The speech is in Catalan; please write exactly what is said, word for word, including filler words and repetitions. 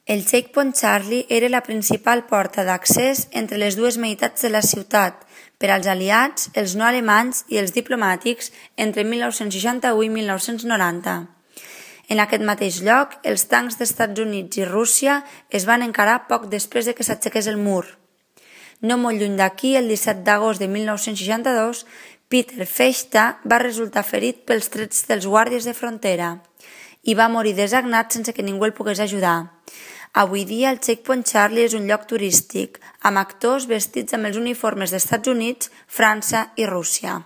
El Checkpoint Charlie era la principal porta d'accés entre les dues meitats de la ciutat per als aliats, els no alemanys i els diplomàtics entre mil nou-cents seixanta-u i mil nou-cents noranta. En aquest mateix lloc, els tancs d'Estats Units i Rússia es van encarar poc després de que s'aixequés el mur. No molt lluny d'aquí, el disset d'agost de mil nou-cents seixanta-dos, Peter Fechter va resultar ferit pels trets dels guàrdies de frontera i va morir desagnat sense que ningú el pogués ajudar. Avui dia, el Checkpoint Charlie és un lloc turístic, amb actors vestits amb els uniformes d'Estats Units, França i Rússia.